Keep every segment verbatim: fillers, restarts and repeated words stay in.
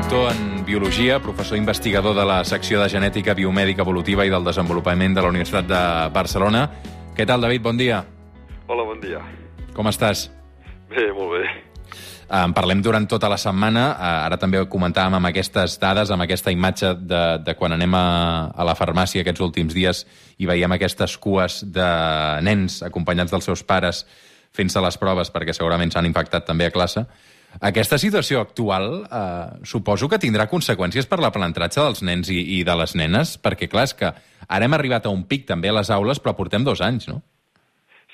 doctor en Biologia, professor investigador de la secció de Genètica Biomèdica Evolutiva i del Desenvolupament de la Universitat de Barcelona. Què tal, David? Bon dia. Hola, bon dia. Com estàs? Bé, molt bé. En parlem durant tota la setmana. Ara també comentàvem amb aquestes dades, amb aquesta imatge de, de quan anem a, a la farmàcia aquests últims dies i veiem aquestes cues de nens acompanyats dels seus pares fent-se les proves perquè segurament s'han infectat també a classe. Aquesta situació actual eh, suposo que tindrà conseqüències per l'aprenentatge dels nens i, i de les nenes, perquè clar, és que ara hem arribat a un pic també a les aules, però portem dos anys, no?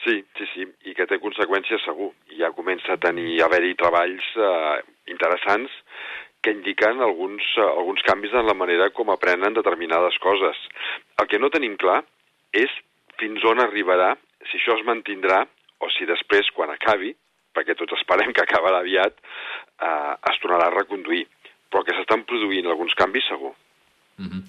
Sí, sí, sí, i que té conseqüències segur. I ja comença a tenir, a haver-hi treballs eh, interessants que indiquen alguns, eh, alguns canvis en la manera com aprenen determinades coses. El que no tenim clar és fins on arribarà, si això es mantindrà, o si després, quan acabi, perquè tots esperem que acabarà aviat, eh, es tornarà a reconduir. Però que s'estan produint alguns canvis, segur. Mm-hmm.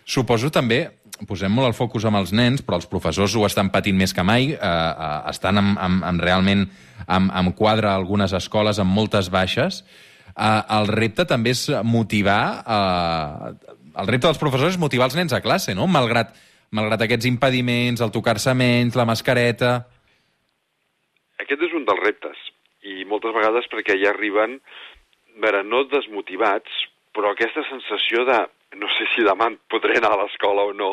Suposo també, posem molt el focus amb els nens, però els professors ho estan patint més que mai, eh, eh, estan amb, amb, amb realment amb, amb quadre a algunes escoles, amb moltes baixes. Eh, el repte també és motivar, eh, el repte dels professors és motivar els nens a classe, no? Malgrat, malgrat aquests impediments, el tocar-se menys, la mascareta... Aquest és un dels reptes, i moltes vegades perquè ja arriben, veure, no desmotivats, però aquesta sensació de no sé si demà podré anar a l'escola o no,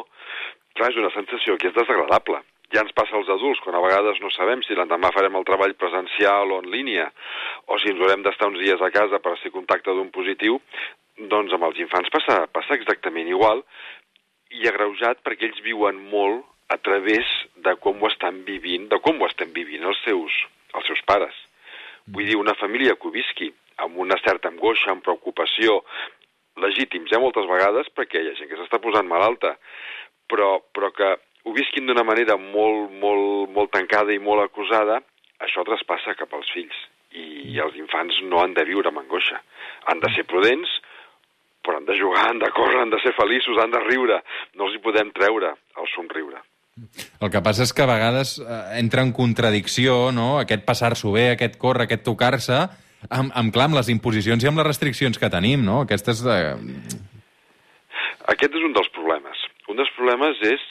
clar, és una sensació que és desagradable. Ja ens passa als adults, quan a vegades no sabem si l'endemà farem el treball presencial o en línia, o si ens haurem d'estar uns dies a casa per ser contacte d'un positiu, doncs amb els infants passa, passa exactament igual, i agreujat perquè ells viuen molt a través de com ho estan vivint, de com ho estem vivint els seus, els seus pares. Vull dir, una família que ho visqui amb una certa angoixa, amb preocupació, legítims, eh, moltes vegades, perquè hi ha gent que s'està posant malalta, però, però que ho visquin d'una manera molt, molt, molt tancada i molt acusada, això traspassa cap als fills. I els infants no han de viure amb angoixa. Han de ser prudents, però han de jugar, han de córrer, han de ser feliços, han de riure. No els hi podem treure el somriure. El que passa és que a vegades eh, entra en contradicció, no?, aquest passar-s'ho bé, aquest córrer, aquest tocar-se, amb, amb, clar, amb les imposicions i amb les restriccions que tenim, no? Aquestes... Eh... Aquest és un dels problemes. Un dels problemes és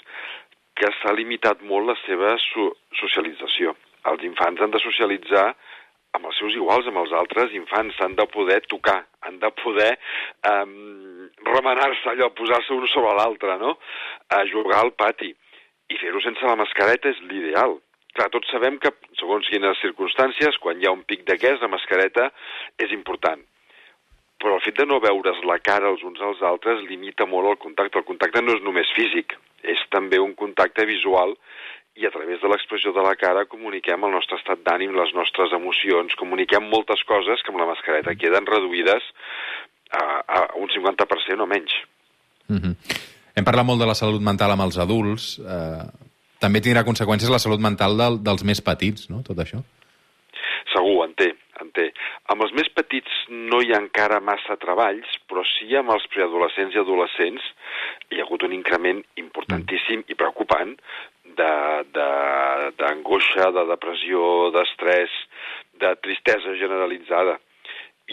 que s'ha limitat molt la seva so socialització. Els infants han de socialitzar amb els seus iguals, amb els altres infants, han de poder tocar, han de poder eh, remenar-se allò, posar-se un sobre l'altre, no?, a jugar al pati. I fer-ho sense la mascareta és l'ideal. Clar, tots sabem que, segons quines circumstàncies, quan hi ha un pic d'aquest, la mascareta és important. Però el fet de no veure's la cara els uns als altres limita molt el contacte. El contacte no és només físic, és també un contacte visual i a través de l'expressió de la cara comuniquem el nostre estat d'ànim, les nostres emocions, comuniquem moltes coses que amb la mascareta queden reduïdes a, a un cinquanta per cent o menys. Mm-hmm. Hem parlat molt de la salut mental amb els adults. Eh, també tindrà conseqüències la salut mental del, dels més petits, no?, tot això? Segur, en té, en té. Amb els més petits no hi ha encara massa treballs, però sí amb els preadolescents i adolescents hi ha hagut un increment importantíssim i preocupant d'angoixa, de, de, de depressió, d'estrès, de tristesa generalitzada.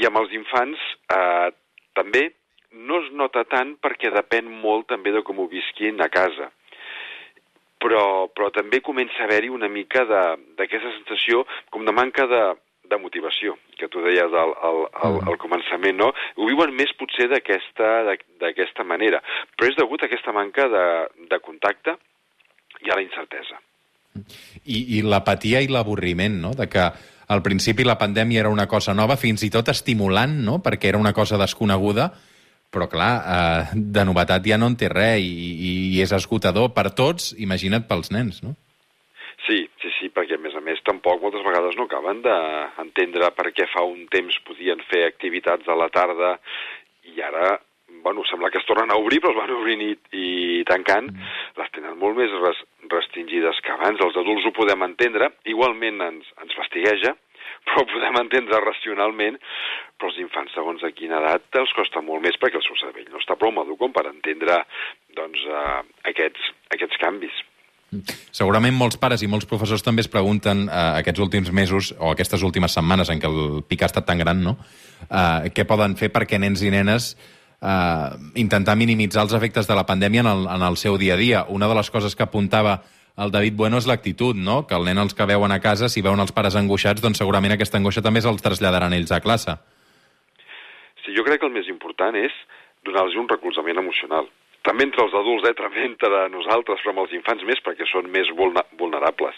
I amb els infants eh, també no es nota tant perquè depèn molt també de com ho visquin a casa. Però, però també comença a haver-hi una mica d'aquesta sensació com de manca de, de motivació, que tu deies al, al, al, al començament, no? Ho viuen més potser d'aquesta manera, però és degut a aquesta manca de, de contacte i a la incertesa. I, i l'apatia i l'avorriment, no?, de que al principi la pandèmia era una cosa nova, fins i tot estimulant, no?, perquè era una cosa desconeguda, però clar, eh, de novetat ja no en té res i, i és esgotador per tots, imagina't pels nens, no? Sí, sí, sí, perquè a més a més tampoc moltes vegades no acaben d'entendre per què fa un temps podien fer activitats a la tarda i ara, bueno, sembla que es tornen a obrir, però es van obrint i, i tancant, mm. les tenen molt més res, restringides que abans. Els adults ho podem entendre, igualment ens, ens fastigueja, però ho podem entendre racionalment, però els infants, segons a quina edat, els costa molt més perquè el seu cervell no està prou madur com per entendre doncs, uh, aquests, aquests canvis. Segurament molts pares i molts professors també es pregunten eh, aquests últims mesos o aquestes últimes setmanes en què el pic ha estat tan gran, no? Eh, què poden fer perquè nens i nenes eh, intentar minimitzar els efectes de la pandèmia en el, en el seu dia a dia. Una de les coses que apuntava el David Bueno és l'actitud, no? Que el nen els que veuen a casa, si veuen els pares angoixats, doncs segurament aquesta angoixa també se'ls traslladaran ells a classe. Sí, jo crec que el més important és donar-los un recolzament emocional. També entre els adults, eh, també entre nosaltres, però amb els infants més, perquè són més vulnerables.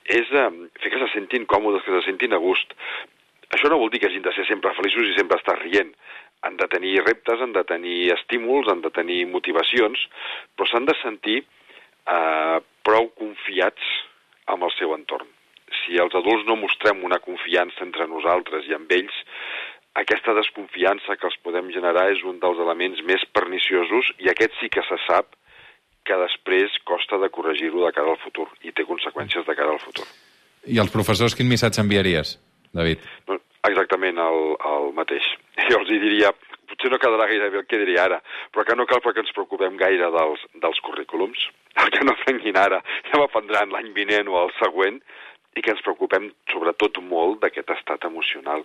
És eh, fer que se sentin còmodes, que se sentin a gust. Això no vol dir que hagin de ser sempre feliços i sempre estar rient. Han de tenir reptes, han de tenir estímuls, han de tenir motivacions, però s'han de sentir eh, prou confiats amb el seu entorn. Si els adults no mostrem una confiança entre nosaltres i amb ells, aquesta desconfiança que els podem generar és un dels elements més perniciosos i aquest sí que se sap que després costa de corregir-ho de cara al futur i té conseqüències de cara al futur. I als professors quin missatge enviaries, David? No, exactament el, el mateix. Jo els diria, potser no quedarà gaire bé el que diré ara, però que no cal que ens preocupem gaire dels, dels currículums, el que no aprenguin ara ja m'aprendran l'any vinent o el següent, i que ens preocupem sobretot molt d'aquest estat emocional,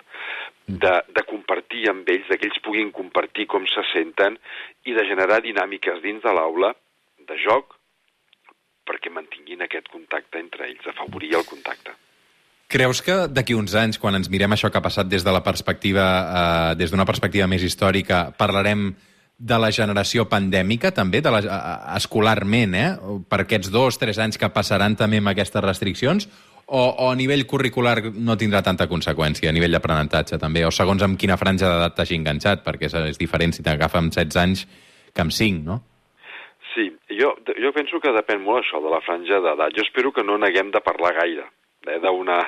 de, de compartir amb ells, que ells puguin compartir com se senten i de generar dinàmiques dins de l'aula, de joc, perquè mantinguin aquest contacte entre ells, afavorir el contacte. Creus que d'aquí uns anys, quan ens mirem això que ha passat des de la perspectiva, eh, des d'una perspectiva més històrica, parlarem de la generació pandèmica, també, de la, escolarment, eh? Per aquests dos, tres anys que passaran també amb aquestes restriccions, o, o a nivell curricular no tindrà tanta conseqüència, a nivell d'aprenentatge també, o segons amb quina franja d'edat t'hagi enganxat, perquè és, és diferent si t'agafa amb setze anys que amb cinc, no? Sí, jo, jo penso que depèn molt això de la franja d'edat. Jo espero que no n'haguem de parlar gaire, eh, d'una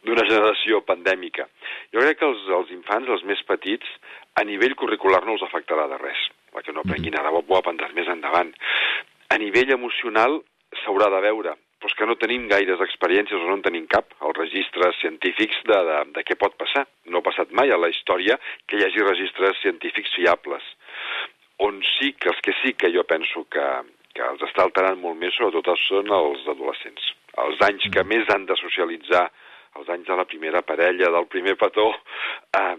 d'una generació pandèmica. Jo crec que els, els infants, els més petits, a nivell curricular no els afectarà de res. La que no aprenguin ara ho aprendran més endavant. A nivell emocional s'haurà de veure, però és que no tenim gaires experiències o no en tenim cap, els registres científics de, de, de què pot passar. No ha passat mai a la història que hi hagi registres científics fiables. On sí que els que sí que jo penso que, que els està alterant molt més, sobretot són els adolescents. Els anys que més han de socialitzar, els anys de la primera parella, del primer petó, eh,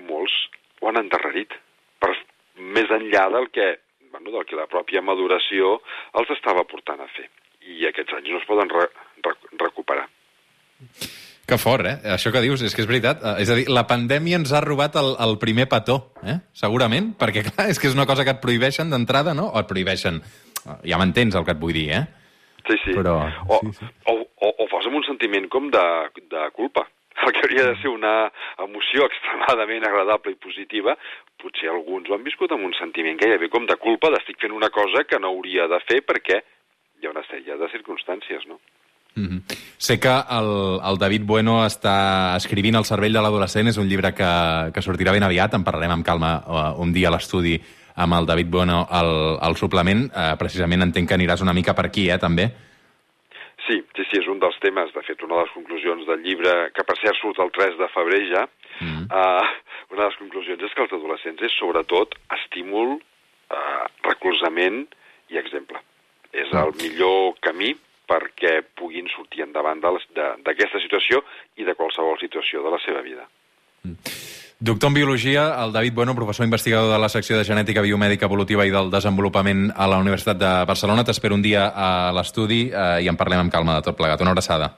molts ho han endarrerit, per més enllà del que, bueno, del que la pròpia maduració els estava portant a fer. I aquests anys no es poden re, re, recuperar. Que fort, eh? Això que dius, és que és veritat. És a dir, la pandèmia ens ha robat el, el primer petó, eh? Segurament, perquè clar, és que és una cosa que et prohibeixen d'entrada, no? O et prohibeixen, ja m'entens el que et vull dir, eh? Sí, sí. Però... O, sí, sí. o, o, o fos amb un sentiment com de, de culpa. El que hauria de ser una emoció extremadament agradable i positiva, potser alguns ho han viscut amb un sentiment gairebé com de culpa d'estic fent una cosa que no hauria de fer perquè hi ha una sèrie de circumstàncies, no? Mm-hmm. Sé que el, el David Bueno està escrivint El cervell de l'adolescent, és un llibre que, que sortirà ben aviat, en parlarem amb calma uh, un dia a l'estudi amb el David Bueno al, al suplement. Uh, precisament entenc que aniràs una mica per aquí, eh, també? Sí, sí, sí, és un dels temes, de fet, una de les conclusions del llibre, que per cert surt el tres de febrer ja, mm. uh, una de les conclusions és que els adolescents és sobretot estímul, uh, recolzament i exemple. És el millor camí perquè puguin sortir endavant d'aquesta situació i de qualsevol situació de la seva vida. Mm. Doctor en Biologia, el David Bueno, professor investigador de la secció de Genètica Biomèdica Evolutiva i del Desenvolupament a la Universitat de Barcelona. T'espero un dia a l'estudi eh, i en parlem amb calma de tot plegat. Una abraçada.